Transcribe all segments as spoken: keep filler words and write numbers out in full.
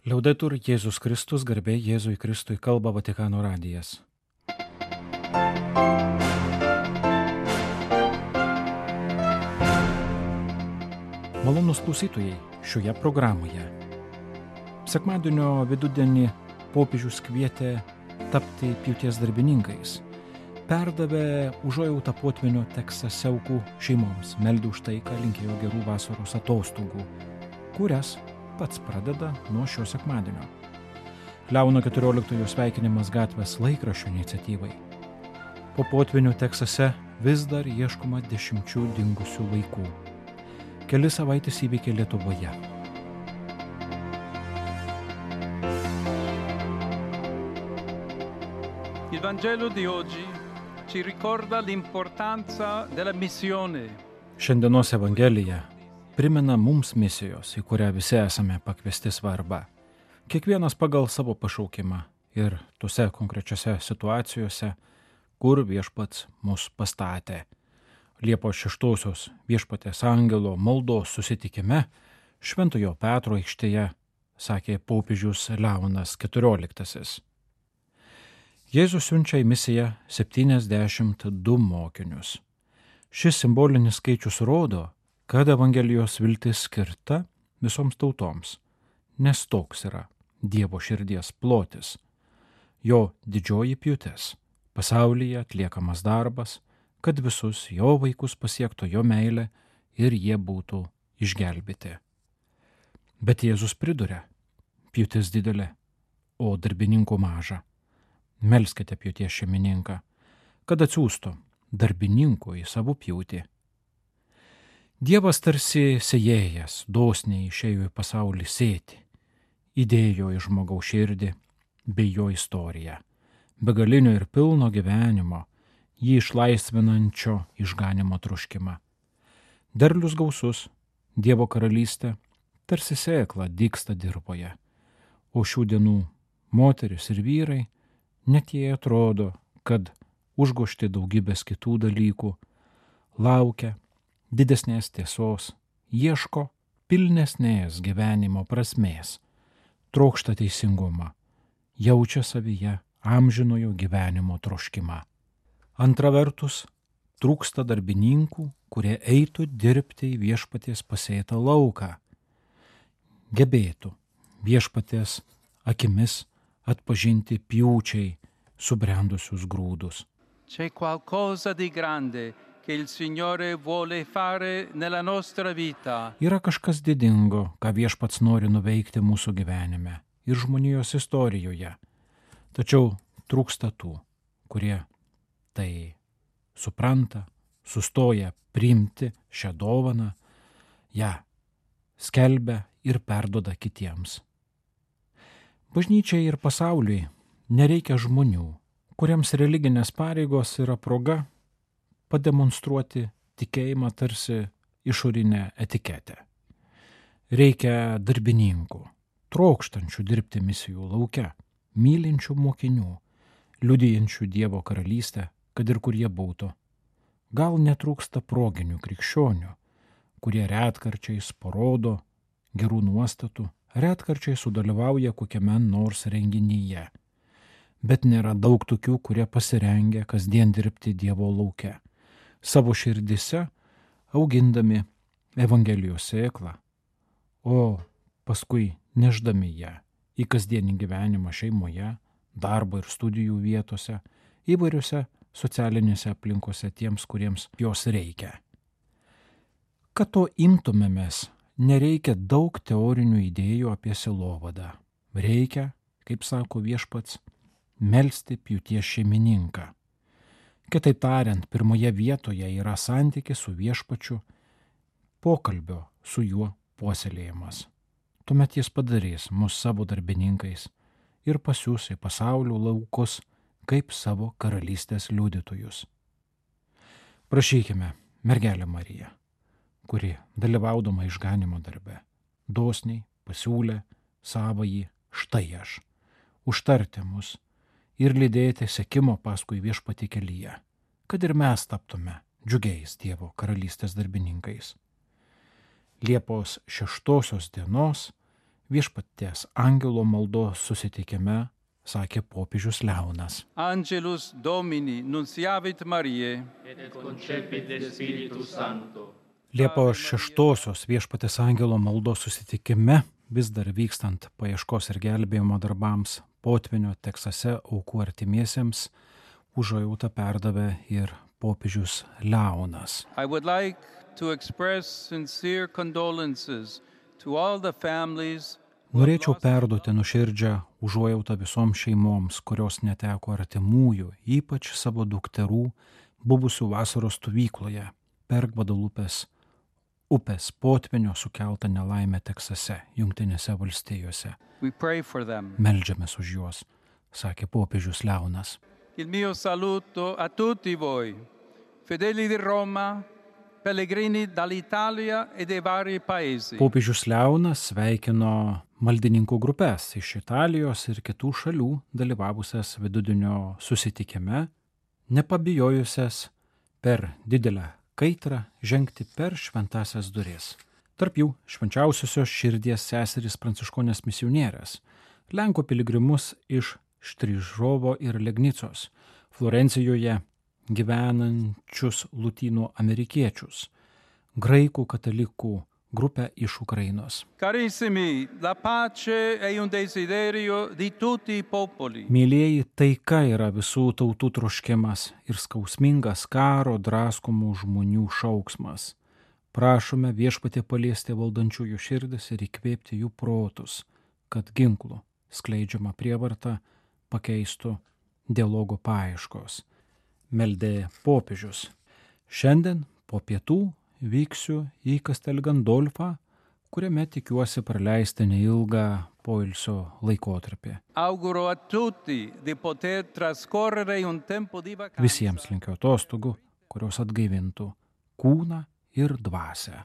Liaudetur Jėzus Kristus, garbė Jėzui Kristui, kalba Vatikano radijas. Malonūs klausytojai, šioje programoje. Sekmadienio vidudienį popiežius kvietė tapti pjūties darbininkais. Perdavė užuojautą potvynio Teksase aukų šeimoms, meldė už taiką, linkėjo gerų vasaros atostogų, kurias pats pradeda nuo šio sekmadienio. Leono keturioliktojo sveikinimas gatvės laikraščio iniciatyvai. Po potvynio Teksase vis dar ieškoma dešimčių dingusių vaikų. Keli savaitės įvykiai Lietuvoje. Il Vangelo di oggi ci ricorda l'importanza della missione. Šiandienos Evangelija primena mums misijos, į kurią visi esame pakviesti svarbą. Kiekvienas pagal savo pašaukimą ir tose konkrečiose situacijose, kur viešpats mus pastatė. Liepos šeštosios viešpatės angelo maldos susitikime Šventojo Petro aikštėje, sakė popiežius Leonas keturioliktasis. Jėzus siunčia į misiją septyniasdešimt du mokinius. Šis simbolinis skaičius rodo, kad Evangelijos viltis skirta visoms tautoms, nes toks yra Dievo širdies plotis. Jo didžioji pjūtis, pasaulyje atliekamas darbas, kad visus jo vaikus pasiektų jo meilė ir jie būtų išgelbėti. Bet Jėzus priduria, pjūtis didelė, o darbininkų maža. Melskite pjūties šeimininką, kad atsiųstų darbininkų į savo pjūtį. Dievas tarsi sėjėjas dosniai išėjo į pasaulį sėti, įdėjo į žmogaus širdį bei jo istoriją, begalinio ir pilno gyvenimo, jį išlaisvinančio išganimo troškimą. Derlius gausus, Dievo karalystė tarsi sėkla dygsta dirvoje, o šių dienų moteris ir vyrai, net jie atrodo, kad užgožti daugybės kitų dalykų, laukia didesnės tiesos, ieško pilnesnės gyvenimo prasmės, trokšta teisingumą, jaučia savyje amžinojo gyvenimo troškimą. Antra vertus, trūksta darbininkų, kurie eitų dirbti į viešpaties pasėtą lauką, gebėtų viešpaties akimis atpažinti pjūčiai subrendusius grūdus. C'è qualcosa di grande che il Signore vuole fare nella nostra vita. Yra kažkas didingo, ką viešpats nori nuveikti mūsų gyvenime ir žmonijos istorijoje. Tačiau trūksta tų, kurie tai supranta, sustoja priimti šią dovaną, ją skelbia ir perduoda kitiems. Bažnyčiai ir pasauliui nereikia žmonių, kuriems religinės pareigos yra proga pademonstruoti tikėjimą tarsi išorinę etiketę. Reikia darbininkų, trokštančių dirbti misijų lauke, mylinčių mokinių, liudijančių Dievo karalystę, kad ir kur jie būtų. Gal netrūksta proginių krikščionių, kurie retkarčiais parodo gerų nuostatų, retkarčiai sudalyvauja kokiame nors renginyje. Bet nėra daug tokių, kurie pasirengia kasdien dirbti Dievo lauke, savo širdise augindami Evangelijos sėklą, o paskui neždami ją į kasdienį gyvenimą šeimoje, darbo ir studijų vietose, įvairiose socialinėse aplinkose tiems, kuriems jos reikia. Kad to imtumėmės, nereikia daug teorinių idėjų apie sielovadą. Reikia, kaip sako viešpats, melsti pjūties šeimininką. Kitaip tariant, pirmoje vietoje yra santykis su viešpačiu, pokalbio su juo puoselėjimas. Tuomet jis padarys mus savo darbininkais ir pasiųs į pasaulio laukus kaip savo karalystės liudytojus. Prašykime mergelę Mariją, kuri dalyvaudama išganimo darbe, dosniai pasiūlė savąjį štai aš, užtarti mus ir lydėti sekimo paskui viešpatį kelyje, kad ir mes taptume džiugiais Dievo karalystės darbininkais. Liepos šeštosios dienos viešpaties angelo maldos susitikime sakė popiežius Leonas. Angelus Domini nunciavit Mariae, et concepit de Spiritus Sancto. Liepos šeštosios viešpaties angelo maldos susitikime, vis dar vykstant paieškos ir gelbėjimo darbams potvynio Teksase aukų artimiesiems, užuojautą perdavė ir popiežius Leonas. I would like to express sincere condolences to all the families. Norėčiau perduoti nuoširdžią užuojautą visoms šeimoms, kurios neteko artimųjų, ypač savo dukterų, buvusių vasaros stovykloje per Gvadalupės upės potvynio sukeltą nelaimę Teksase, Jungtinėse valstijose. We pray for them. Meldžiamės už juos, sakė popiežius Leonas. Il mio saluto a tutti voi, fedeli di Roma, pellegrini dall'Italia e dei vari paesi. Popiežius Leonas sveikino maldininkų grupės iš Italijos ir kitų šalių dalyvavusias vidudienio susitikime, nepabijojusias per didelę kaitrą žengti per šventąsias duris. Tarp jų švenčiausiosios širdies seserys pranciškonės misionierės, Lenkų piligrimus iš Štryžovo ir Legnicos, Florencijoje gyvenančius lotynų amerikiečius, graikų katalikų grupę iš Ukrainos. Carissimi, la pace è un desiderio di tutti i popoli. Mylėjai, taika yra visų tautų troškimas ir skausmingas karo draskomų žmonių šauksmas. Prašome viešpatie paliesti valdančiųjų širdis ir įkvėpti jų protus, kad ginklų skleidžiama prievarta pakeistų dialogo paieškos. Meldė popiežius. Šiandien po pietų vyksiu į Castel Gandolfą, kuriame tikiuosi praleisti neilgą poilsio laikotarpį. Auguro a tutti di poter trascorrere un tempo di vacanza. Visiems linkiu atostogų, kurios atgaivintų kūną ir dvasią.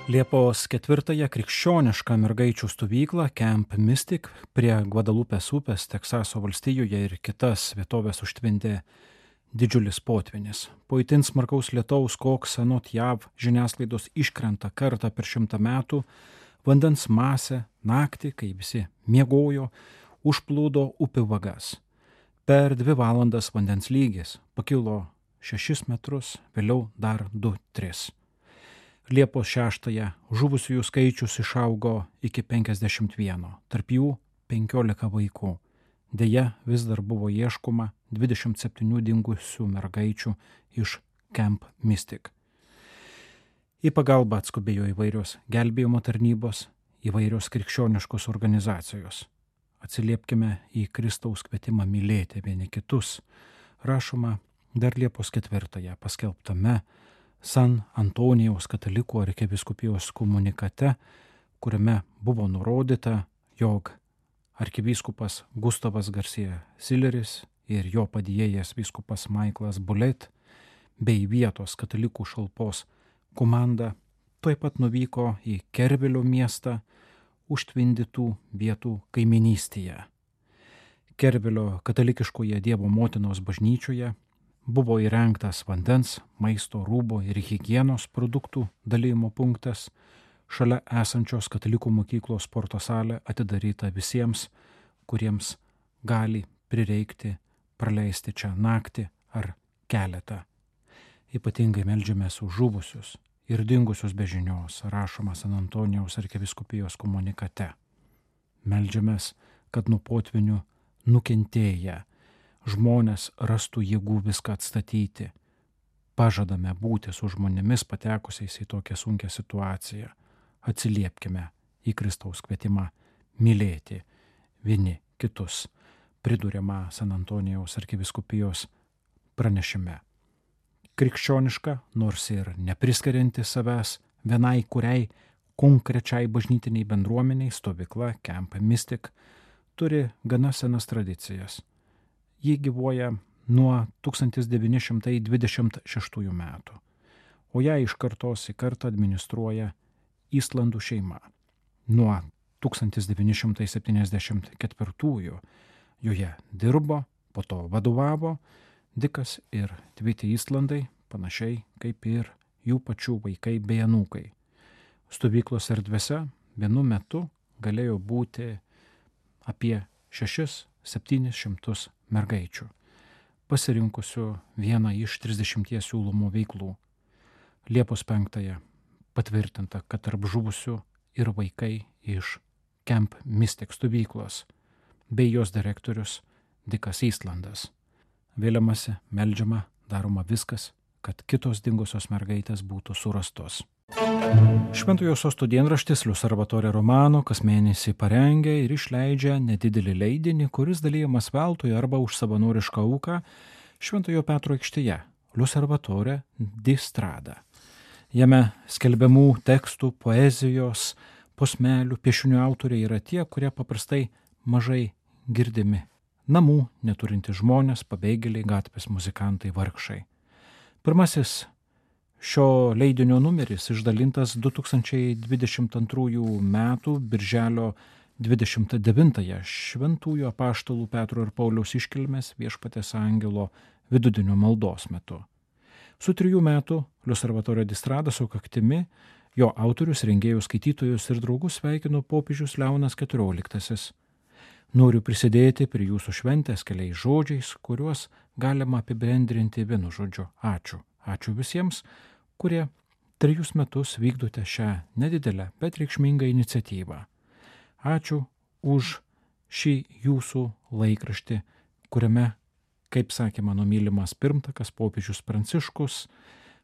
Liepos ketvirtąją krikščionišką mergaičių stovyklą Camp Mystic prie Gvadalupės upės Teksaso valstijoje ir kitas vietovės užtvindė didžiulis potvynis. Po itin smarkaus lietaus, koks anot J A V žiniasklaidos iškrenta kartą per šimtą metų, vandens masė naktį, kai visi miegojo, užplūdo upių vagas. Per dvi valandas vandens lygis pakilo šešis metrus, vėliau dar du tris. Liepos šeštąją žuvusiųjų skaičius išaugo iki penkiasdešimt vieno, tarp jų penkiolika vaikų. Deja, vis dar buvo ieškoma dvidešimt septynių dingusių mergaičių iš Camp Mystic. Į pagalbą atskubėjo įvairios gelbėjimo tarnybos, įvairios krikščioniškos organizacijos. Atsiliepkime į Kristaus kvietimą mylėti vieni kitus. Rašoma dar Liepos ketvirtąją paskelbtame San Antonijaus katalikų arkivyskupijos komunikate, kuriame buvo nurodyta, jog arkivyskupas Gustavas Garcia Silleris ir jo padėjėjas vyskupas Michaelas Bullet bei vietos katalikų šalpos komanda tuoj pat nuvyko į Kervilio miestą užtvindytų vietų kaiminystėje. Kervilio katalikiškoje Dievo motinos bažnyčioje buvo įrengtas vandens, maisto, rūbo ir higienos produktų dalijimo punktas, šalia esančios katalikų mokyklos sporto salė atidaryta visiems, kuriems gali prireikti praleisti čia naktį ar keletą. Ypatingai meldžiamės už žuvusius ir dingusius be žinios, rašoma San Antonijaus arkivyskupijos komunikate. Meldžiamės, kad nuo potvynių nukentėję žmonės rastų jėgų viską atstatyti. Pažadame būti su žmonėmis patekusiais į tokią sunkią situaciją. Atsiliepkime į Kristaus kvietimą mylėti vieni kitus, priduriama San Antonijaus arkivyskupijos pranešime. Krikščioniška, nors ir nepriskirianti savęs vienai kuriai konkrečiai bažnytiniai bendruomeniai stovykla Camp Mystic turi gana senas tradicijas. Ji gyvuoja nuo tūkstantis devyni šimtai dvidešimt šeštųjų metų, o ją iš kartos į kartą administruoja Islandų šeima. Nuo tūkstantis devyni šimtai septyniasdešimt ketvirtųjų joje dirbo, po to vadovavo Dikas ir Tviti Islandai, panašiai kaip ir jų pačių vaikai bei anūkai. Stovyklos erdvėse vienu metu galėjo būti apie šešis septynis šimtus mergaičių, pasirinkusių vieną iš trisdešimties siūlomų veiklų. Liepos penktąją patvirtinta, kad tarp žuvusių ir vaikai iš Camp Mystic stovyklos bei jos direktorius Dikas Eastlandas. Vėliamasi, meldžiama, daroma viskas, kad kitos dingusios mergaitės būtų surastos. Šventojo Sosto dienraštis L'Osservatore Romano kas mėnesį parengia ir išleidžia nedidelį leidinį, kuris dalyjamas veltui arba už savanorišką auką Šventojo Petro aikštėje L'Osservatore di Strada. Jame skelbiamų tekstų, poezijos, posmelių, piešinių autoriai yra tie, kurie paprastai mažai girdimi. Namų neturinti žmonės, pabėgėliai, gatvės muzikantai, vargšai. Pirmasis šio leidinio numeris išdalintas du tūkstančiai dvidešimt antrųjų metų birželio dvidešimt devintąją šventųjų apaštalų Petro ir Pauliaus iškilmės Viešpaties angelo vidudienio maldos metu. Su trijų metų L'Osservatore di Strada sukaktimi jo autorius, rengėjus, skaitytojus ir draugus sveikino popiežius Leonas keturioliktasis. Noriu prisidėti prie jūsų šventės keliais žodžiais, kuriuos galima apibendrinti vienu žodžiu – ačiū. Ačiū visiems, kurie trejus metus vykdote šią nedidelę, bet reikšmingą iniciatyvą. Ačiū už šį jūsų laikraštį, kuriame, kaip sakė mano mylimas pirmtakas popiežius Pranciškus,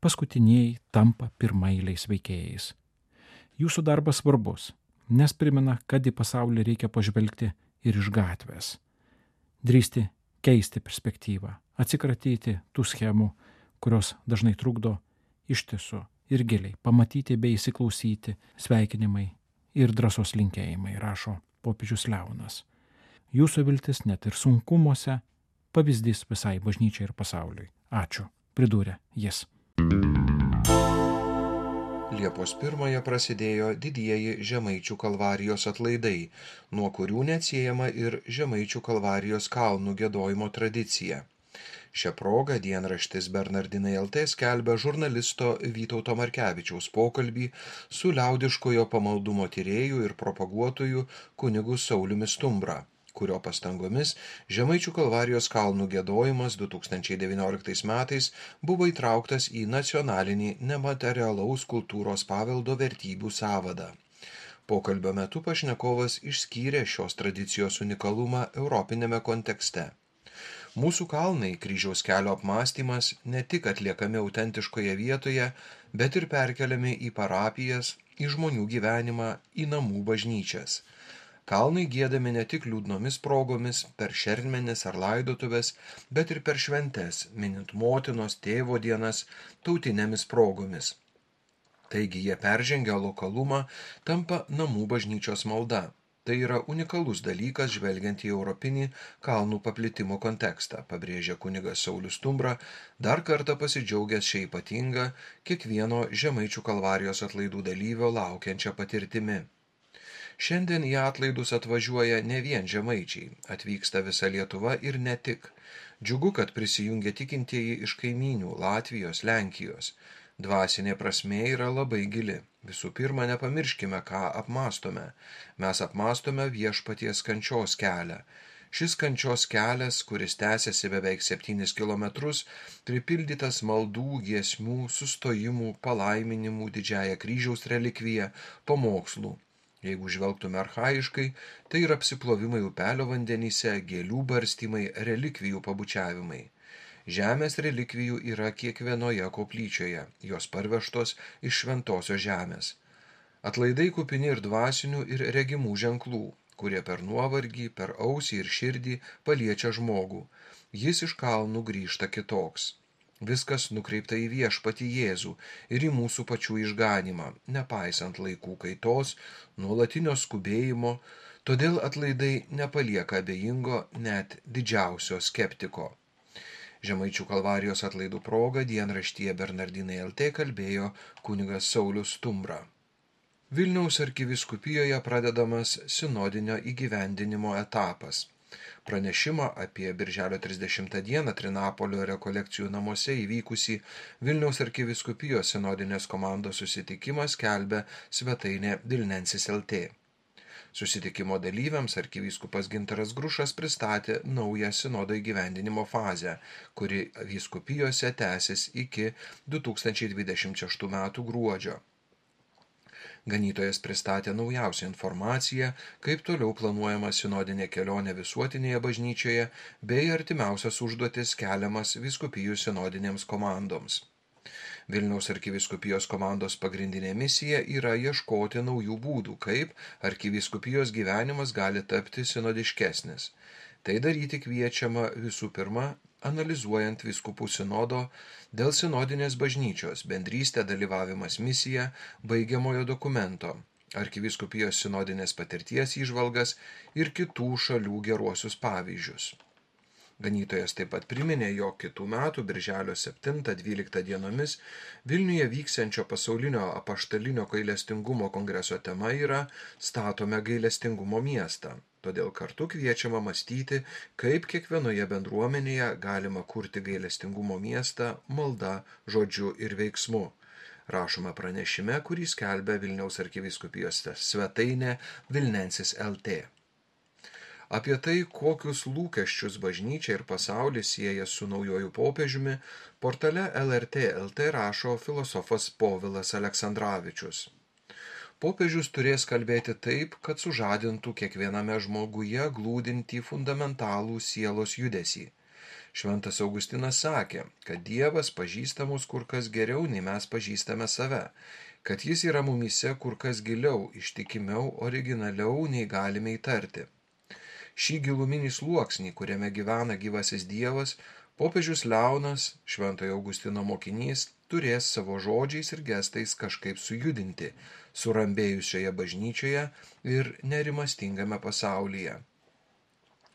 paskutiniai tampa pirmaeiliais veikėjais. Jūsų darbas svarbus, nes primena, kad į pasaulį reikia pažvelgti ir iš gatvės. Drįsti keisti perspektyvą, atsikratyti tų schemų, kurios dažnai trukdo ištisu ir giliai pamatyti bei įsiklausyti sveikinimai ir drąsos linkėjimai, rašo popiežius Leonas. Jūsų viltis net ir sunkumuose pavyzdys visai bažnyčiai ir pasauliui. Ačiū, pridūrė jis. Liepos pirmąją prasidėjo didieji Žemaičių kalvarijos atlaidai, nuo kurių neatsiejama ir Žemaičių kalvarijos kalnų giedojimo tradicija. Šią progą dienraštis Bernardinai L T skelbia žurnalisto Vytauto Markevičiaus pokalbį su liaudiškojo pamaldumo tyrėjų ir propaguotojų kunigu Sauliumi Stumbra, kurio pastangomis Žemaičių kalvarijos kalnų giedojimas du tūkstančiai devynioliktais metais buvo įtrauktas į nacionalinį nematerialaus kultūros paveldo vertybių sąvadą. Pokalbio metu pašnekovas išskyrė šios tradicijos unikalumą europinėme kontekste. Mūsų kalnai kryžiaus kelio apmąstymas ne tik atliekami autentiškoje vietoje, bet ir perkeliami į parapijas, į žmonių gyvenimą, į namų bažnyčias. Kalnai giedami ne tik liūdnomis progomis, per šermenis ar laidotuves, bet ir per šventes, minint motinos, tėvo dienas, tautinėmis progomis. Taigi jie peržengia lokalumą, tampa namų bažnyčios malda. Tai yra unikalus dalykas žvelgiant į europinį kalnų paplitimo kontekstą, pabrėžia kunigas Saulius Stumbra, dar kartą pasidžiaugęs šią ypatingą kiekvieno Žemaičių kalvarijos atlaidų dalyvio laukiančią patirtimi. Šiandien į atlaidus atvažiuoja ne vien žemaičiai, atvyksta visa Lietuva ir ne tik. Džiugu, kad prisijungia tikintieji iš kaimynių Latvijos, Lenkijos. Dvasinė prasmė yra labai gili. Visų pirma, nepamirškime, ką apmąstome. Mes apmąstome viešpaties kančios kelią. Šis kančios kelias, kuris tęsiasi beveik septynis kilometrus, pripildytas maldų, giesmių, sustojimų, palaiminimų, didžiąją kryžiaus relikviją, pamokslų. Jeigu žvelgtume archaiškai, tai yra apsiplovimai upelio vandenyse, gėlių barstymai, relikvijų pabučiavimai. Žemės relikvijų yra kiekvienoje koplyčioje, jos parvežtos iš šventosios žemės. Atlaidai kupini ir dvasinių ir regimų ženklų, kurie per nuovargį, per ausį ir širdį paliečia žmogų. Jis iš kalnų grįžta kitoks. Viskas nukreipta į viešpatį Jėzų ir į mūsų pačių išganymą, nepaisant laikų kaitos, nuolatinio skubėjimo, todėl atlaidai nepalieka abejingo net didžiausio skeptiko. Žemaičių kalvarijos atlaidų proga dienraštyje Bernardinai L T kalbėjo kunigas Saulius Stumbra. Vilniaus arkivyskupijoje pradedamas sinodinio įgyvendinimo etapas. Pranešimą apie birželio trisdešimtą dieną Trinapolio rekolekcijų namuose įvykusį Vilniaus arkivyskupijos sinodinės komandos susitikimą skelbia svetainė Vilnensis L T. Susitikimo dalyviams arkivyskupas Gintaras Grušas pristatė naują sinodo įgyvendinimo fazę, kuri vyskupijose tęsis iki du tūkstančiai dvidešimt šeštų metų gruodžio. Ganytojas pristatė naujausią informaciją, kaip toliau planuojama sinodinė kelionė visuotinėje bažnyčioje bei artimiausias užduotis keliamas vyskupijų sinodinėms komandoms. Vilniaus arkivyskupijos komandos pagrindinė misija yra ieškoti naujų būdų, kaip arkivyskupijos gyvenimas gali tapti sinodiškesnis. Tai daryti kviečiama visų pirma, analizuojant vyskupų sinodo dėl sinodinės bažnyčios bendrystė dalyvavimas misija baigiamojo dokumento, arkivyskupijos sinodinės patirties įžvalgas ir kitų šalių geruosius pavyzdžius. Ganytojas taip pat priminė, jog kitų metų birželio septintą dvyliktą dienomis Vilniuje vyksiančio pasaulinio apaštalinio gailestingumo kongreso tema yra Statome gailestingumo miestą. Todėl kartu kviečiama mąstyti, kaip kiekvienoje bendruomenėje galima kurti gailestingumo miestą malda, žodžiu ir veiksmu. Rašoma pranešime, kurį skelbia Vilniaus arkivyskupijos svetainė Vilnensis L T. Apie tai, kokius lūkesčius bažnyčia ir pasaulis sieja su naujoju popiežiumi, portale L R T L T rašo filosofas Povilas Aleksandravičius. Popiežius turės kalbėti taip, kad sužadintų kiekviename žmoguje glūdintį fundamentalų sielos judesį. Šventas Augustinas sakė, kad Dievas pažįsta mus kur kas geriau, nei mes pažįstame save, kad jis yra mumyse kur kas giliau, ištikimiau, originaliau, nei galime įtarti. Šį giluminį sluoksnį, kuriame gyvena gyvasis Dievas, popiežius Leonas, Šventojo Augustino mokinys, turės savo žodžiais ir gestais kažkaip sujudinti, surambėjusioje bažnyčioje ir nerimastingame pasaulyje.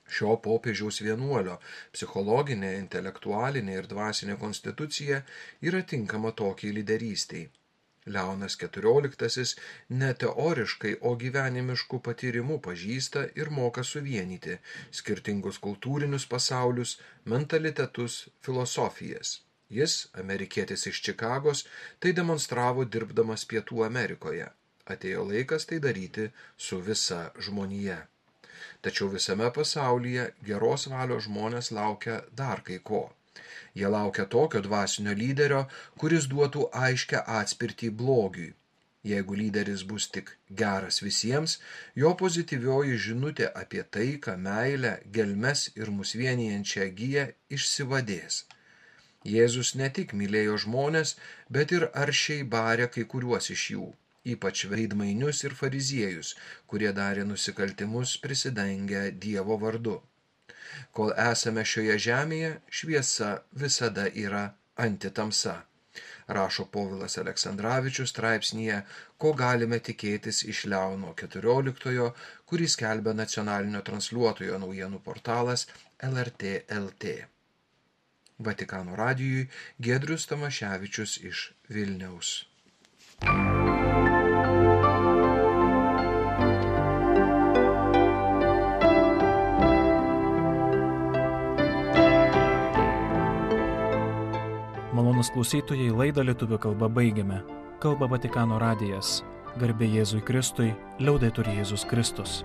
Šio popiežiaus vienuolio psichologinė, intelektualinė ir dvasinė konstitucija yra tinkama tokiai lyderystei. Leonas keturioliktasis ne teoriškai, o gyvenimiškų patyrimų pažįsta ir moka suvienyti skirtingus kultūrinius pasaulius, mentalitetus, filosofijas. Jis, amerikietis iš Čikagos, tai demonstravo dirbdamas Pietų Amerikoje. Atėjo laikas tai daryti su visa žmonija. Tačiau visame pasaulyje geros valios žmonės laukia dar kai ko. Jie laukia tokio dvasinio lyderio, kuris duotų aiškę atspirtį blogiui. Jeigu lyderis bus tik geras visiems, jo pozityvioji žinutė apie taiką, meilę, gelmes ir mus vienijančią giją išsivadės. Jėzus ne tik mylėjo žmones, bet ir aršiai barė kai kuriuos iš jų, ypač veidmainius ir fariziejus, kurie darė nusikaltimus prisidengę Dievo vardu. Kol esame šioje žemėje, šviesa visada yra antitamsa. Rašo Povilas Aleksandravičius straipsnyje, ko galime tikėtis iš Leono keturioliktojo, kurį skelbia nacionalinio transliuotojo naujienų portalas L R T L T. Vatikano radijui Giedrius Tamaševičius iš Vilniaus. Malonūs klausytojai, laidą lietuvių kalba baigiame. Kalba Vatikano radijas. Garbė Jėzui Kristui, liaudetur Jėzus Kristus.